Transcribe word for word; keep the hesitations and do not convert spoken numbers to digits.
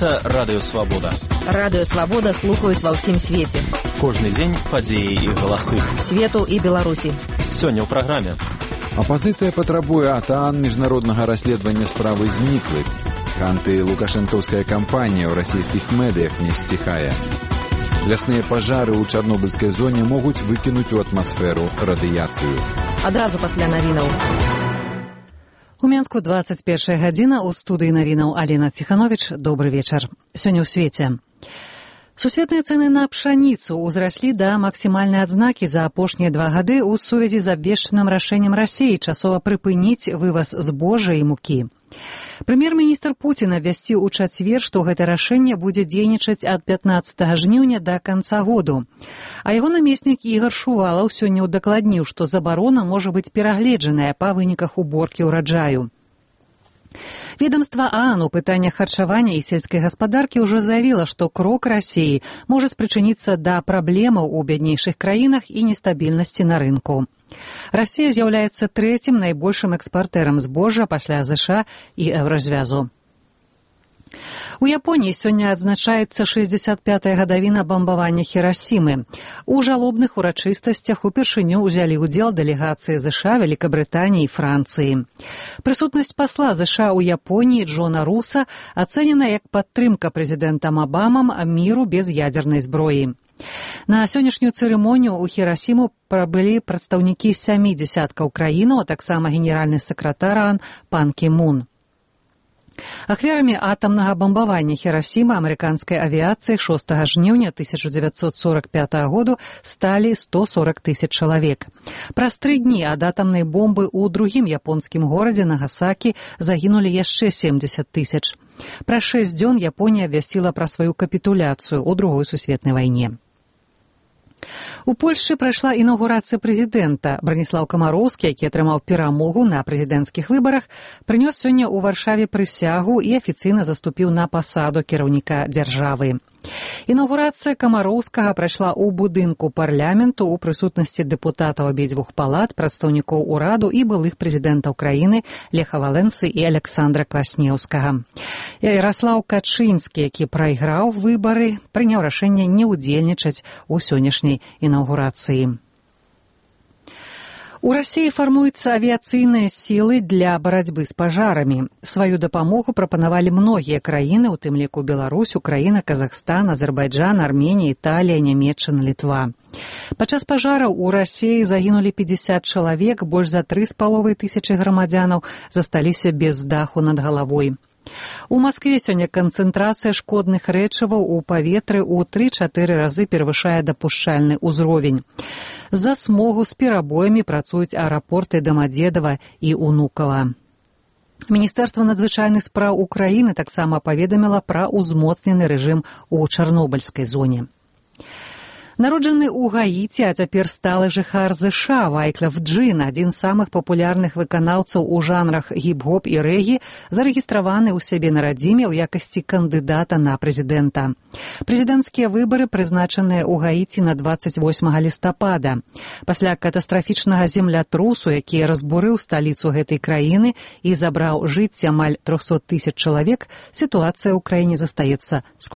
Гэта Радыё Свабода. Радыё Свабода слухаюць ва ўсім свеце. Кожны дзень падзеі і галасы. Свету і Беларусі. Сёння ў праграме. Апазіцыя патрабуе ад ААН міжнароднага расследавання справы зніклых. Анты-лукашэнкаўская кампанія ў расійскіх медыях не сціхае. Лясныя пажары ў чарнобыльскай зоне могуць выкінуць у атмасферу радыяцыю. Адразу пасля навінаў. У Менску дваццаць першая гадзіна, у студыі навінаў Алена Ціхановіч. Добры вечар. Сёння ў свеце. Сусветныя цэны на пшаніцу ўзраслі да максімальнай адзнакі за апошнія два гады ў сувязі з абвешчаным рашэннем Расіі часова прыпыніць вываз збожжа і мукі. Прэм'ер-міністр Пуцін абвясціў у чацвер, што гэта рашэнне будзе дзейнічаць ад пятнаццатага жніўня да канца году. А яго намеснік Ігар Шувалаў сёння ўдакладніў, што забарона можа быць перагледжаная па выніках уборкі ўраджаю. Ведомства ААН у пытаннях харчавання і сельскай гаспадаркі ўжо заявіла, што крок Расіі можа спрычыніцца да праблемаў у бяднейшых краінах і нестабільнасці на рынку. Расія з'яўляецца трэцім найбольшым экспартэрам збожжа пасля ЗША і Еўразвязу. У Японіі сёння адзначаецца шэсцьдзесят пятая гадавіна бамбавання Хірасімы. У жалобных урачыстасцях упершыню ўзялі ўдзел дэлегацыі ЗША, Вялікабрытаніі і Францыі. Прысутнасць пасла ЗША ў Японіі Джона Руса ацэнена як падтрымка прэзідэнтам Абамам міру без ядзернай зброі. На сённяшнюю цырымонію ў Хірасіму прыбылі прадстаўнікі сямі дзясяткаў краінаў, а таксама генеральны сакратар ААН Пан Кі Мун. Ахвярамі атамнага бамбавання Хірасімы амерыканскай авіяцыі шостага жніўня тысяча дзевяцьсот сорак пятага году сталі сто сорак тысяч чалавек. Праз тры дні ад атамнай бомбы ў другім японскім горадзе Нагасакі загінулі яшчэ семдзесят тысяч. Праз шэсць дзён Японія абвясціла пра сваю капітуляцыю ў другой сусветнай вайне. У Польшчы прайшла інаўгурацыя прэзідэнта. Браніслаў Камароўскі, які атрымаў перамогу на прэзідэнцкіх выбарах, прынёс сёння ў Варшаве прысягу і афіцыйна заступіў на пасаду кіраўніка дзяржавы. Інаўгурацыя Камароўскага прайшла ў будынку парламенту ў прысутнасці дэпутатаў абедзвюх палат, прадстаўнікоў ураду і былых прэзідэнтаў краіны Леха Валенцы і Аляксандра Кваснеўскага. Яраслаў Качынскі, які прайграў выбары, прыняў рашэнне не ўдзельнічаць у сённяшняй інаўгурацыі. У Расіі фармуюцца авіяцыйныя сілы для барацьбы з пажарамі. Сваю дапамогу прапанавалі многія краіны, у тым ліку Беларусь, Украіна, Казахстан, Азербайджан, Арменія, Італія, Нямецчына, Літва. Падчас пажараў у Расіі загінулі пятьдесят чалавек, больш за тры з паловай тысячы грамадзянаў засталіся без даху над галавой. У Маскве сёння канцэнтрацыя шкодных рэчываў у паветры ў тры-чатыры разы перавышае дапушчальны ўзровень. З-за смогу з перабоямі працуюць аэрапорты Дамадзедава і Унукава. Міністэрства надзвычайных спраў Украіны таксама паведаміла пра ўзмоцнены рэжым у чарнобыльскай зоне. Народжаны ў Гаіці, а цяпер сталы жыхар ЗША Вайклав Джин, адзін з самых папулярных выканаўцаў у жанрах гіп-гоп і рэгі, зарэгістраваны ў сябе на радзіме ў якасці кандыдата на прэзідэнта. Прэзідэнцкія выбары прызначаныя ў Гаіці на дваццаць восьмага лістапада. Пасля катастрафічнага землятрусу, які разбурыў сталіцу гэтай краіны і забраў жыцці амаль трохсот тысяч чалавек, сітуацыя ў краіне застаецца складанай.